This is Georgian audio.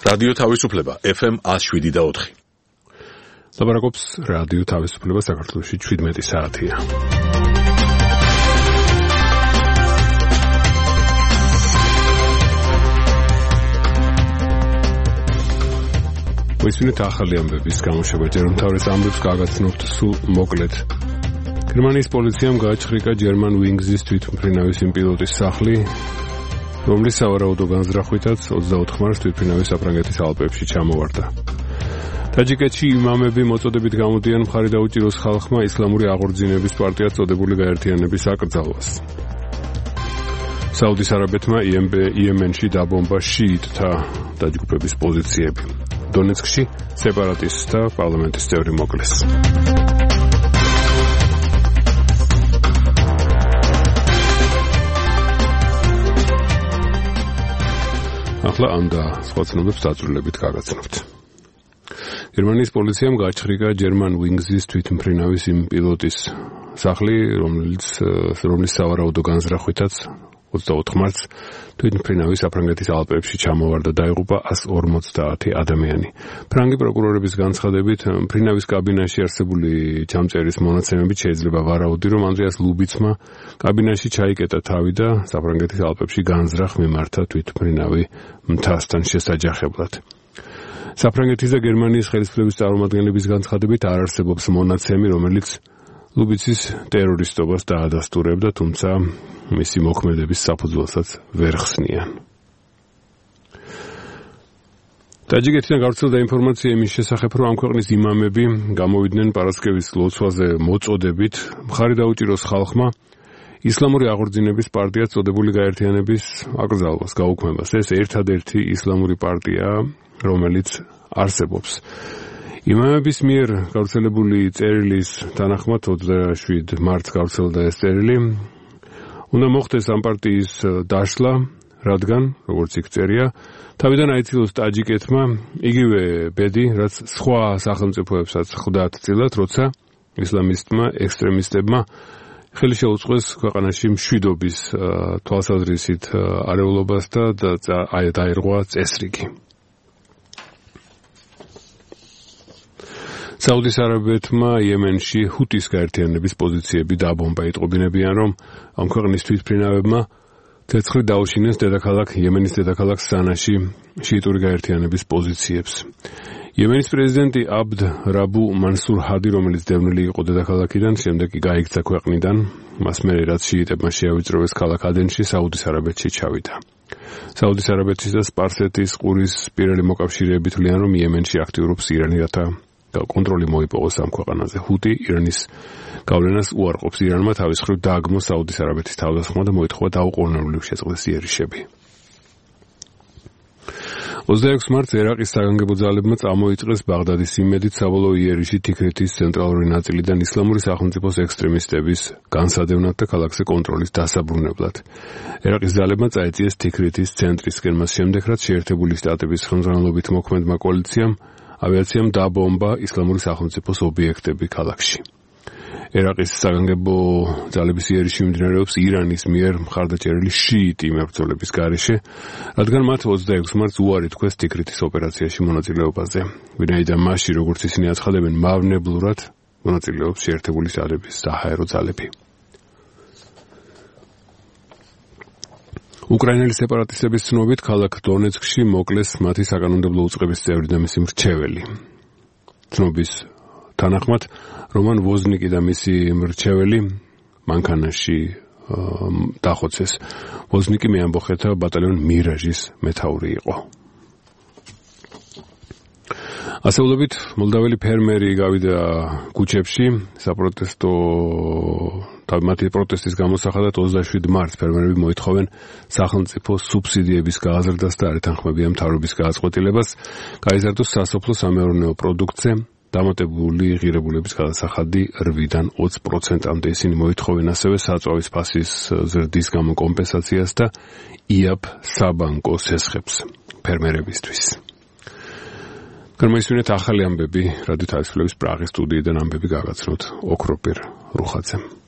რადიო თავისუფლება FM 107.4. ლაპარაკობს რადიო თავისუფლება საქართველოში 17 საათია. ვისმინეთ ახალი ამბების გამოშვება, ჯერ უმთავრეს ამბებს გაგაცნობთ სულ მოკლედ. გერმანიის პოლიციამ გააჩხრიკა German Wings-ის თვითმფრინავის პილოტის სახლი, რომლის სავარაუდო განზრახვითაც 24 მარტს თვითმფრინავი საფრანგეთის ალპებში ჩამოვარდა. ტაჯიკეთში იმამები მოწოდებით გამოდიან მხარი დაუჭიროს ხალხმა ისლამური აღორძინების პარტიად წოდებული გაერთიანების აკრძალვას. საუდის არაბეთმა იემენში დაბომბა შიიტთა დაჯგუფების პოზიციები. დონეცკში სეპარატისტთა პარლამენტის წევრი მოკლეს. ახლა ამ და სხვა ცნობებს დაწვრილებით გაგაცნობთ. გერმანიის პოლიციამ გააჩხრიკა German Wings-ის თვითმფრინავის პილოტის სახლი, რომლის სავარაუდო განზრახვითაც 24 მარტს თვითმფრინავი საფრანგეთის ალპებში ჩამოვარდა, დაიღუპა 150 ადამიანი. ფრანგი პროკურორების განცხადებით, მფრინავის კაბინაში არსებული ჩამწერის მონაცემებით შეიძლება ვარაუდი, რომ ანდრეას ლუბიცმა კაბინაში ჩაიკეტა თავი და საფრანგეთის ალპებში განზრახ მიმართა თვითმფრინავი მთასთან შესაჯახებლად. საფრანგეთის და გერმანიის ხელისუფლების წარმომადგენლების განცხადებით არ არსებობს მონაცემი, რომელიც ლუბიცის ტერორისტობას დაადასტურებდა, თუმცა მისი მოქმედების საფუძველსაც ვერ ხსნიან. ტაჯიკეთიდან გავრცელდა ინფორმაცია იმის შესახებ, რომ ამ ქვეყნის იმამები გამოვიდნენ პარასკევის ლოცვაზე მოწოდებით მხარი დაუჭიროს ხალხმა ისლამური აღორძინების პარტიად წოდებული გაერთიანების აკრძალვას, გაუქმებას. ეს ერთადერთი ისლამური პარტია, რომელიც არსებობს. იმამების მიერ გავრცელებული წერილის თანახმად 27 მარტს გავრცელდა ეს წერილი. უნდა მოხდეს ამ პარტიის დაშლა, რადგან, როგორც იქ წერია, თავიდან აიცილოს ტაჯიკეთმა იგივე ბედი, რაც სხვა სახელმწიფოებსაც ხვდათ წილად, როცა ისლამისტმა ექსტრემისტებმა ხელი შეუწყეს ქვეყანაში მშვიდობის თვალსაზრისით არეულობას და დაირღვა წესრიგი. საუდის არაბეთმა იემენში ჰუტის გაერთიანების პოზიციები დაბომბა. იტყობინებიან, რომ ამ ქვეყნის თვითმფრინავებმა ცეცხლი დაუშინეს იემენის დედაქალაქ სანაში შიიტური გაერთიანების პოზიციებს. იემენის პრეზიდენტი აბდ რაბუ მანსურ ჰადი, რომელიც დევნილი იყო დედაქალაქიდან, შემდეგ კი გაიქცა ქვეყნიდან, მას მერე რაც შიიტებმა შეავიწროვეს ქალაქ ადენში, საუდის არაბეთში ჩავიდა. საუდის არაბეთის და სპარსეთის ყურის პირელი მოკავშირეები თვლიან, რომ იემენში აქტიურობს ირანი, რათა კონტროლი მოიპოვოს ამ ქვეყანაზე. ჰუტი ირანის გავლენას უარყოფს. ირანმა თავის მხრივ დააგმო საუდის არაბეთის თავდასხმა და მოითხოვა დაუყოვნებლივ შეწყდეს იერიშები. 26 მარტს ერაყის საგანგებო ძალებმა წამოიწყეს ბაღდადის იმედით საბოლოო იერიში თიქრეთის ცენტრალური ნაწილიდან ისლამური სახელმწიფოს ექსტრემისტების განსადევნად და ქალაქზე კონტროლის დასაბრუნებლად. ერაყის ძალებმა წაეწიეს თიქრეთის ცენტრისკენ, მას შემდეგ რაც შეერთებული შტატების ხელმძღვანელობით მოქმედმა კოალიციამ ავიაციამ დაბომბა ისლამური სახელმწიფოს ობიექტები ქალაქში. ერაყის საგანგებო ძალების იერიში მიმდინარეობს ირანის მიერ მხარდაჭერილი შიიტი მებრძოლების გარეშე, რადგან მათ 26 მარტს უარი თქვეს თიქრეთის ოპერაციაში მონაწილეობაზე. ვინაიდან მასში, როგორც ისინი აცხადებენ, მავნებლურად მონაწილეობს შეერთებული შტატების საჰაერო ძალები. უკრაინელი სეპარატისტების ცნობით, ქალაქ დონეცკში მოკლეს მათი საკანონმდებლო უწყების წევრი და მისი მრჩეველი. ცნობის თანახმად, რომან ვოზნიკი და მისი მრჩეველი მანქანაში დახოცეს. ვოზნიკი მეამბოხეთა ბატალიონ მირაჟის მეთაური იყო. ასეულობით, მოლდაველი ფერმერი გავიდა ქუჩებში საპროტესტო მათი პროტესტის გამოსახადად 27 მარტს ფერმერები მოითხოვენ სახელმწიფო სუბსიდიების გააზრდას და არ ეთანხმებიან მთავრობის გადაწყვეტილებას, გაიზარდოს სასოფლო-სამეურნეო პროდუქტზე დამატებული ღირებულების გადასახადი 8-დან 20%-მდე. ისინი მოითხოვენ ასევე საწვავის ფასის ზრდის გამო კომპენსაციას და იაპ საბანკო სესხებს ფერმერებისთვის. გამოისმინეთ ახალი ამბები რადიო თავისუფლების პრაღის სტუდიიდან ამბები გაგაცნოთ ოქროპირ რუხაძემ.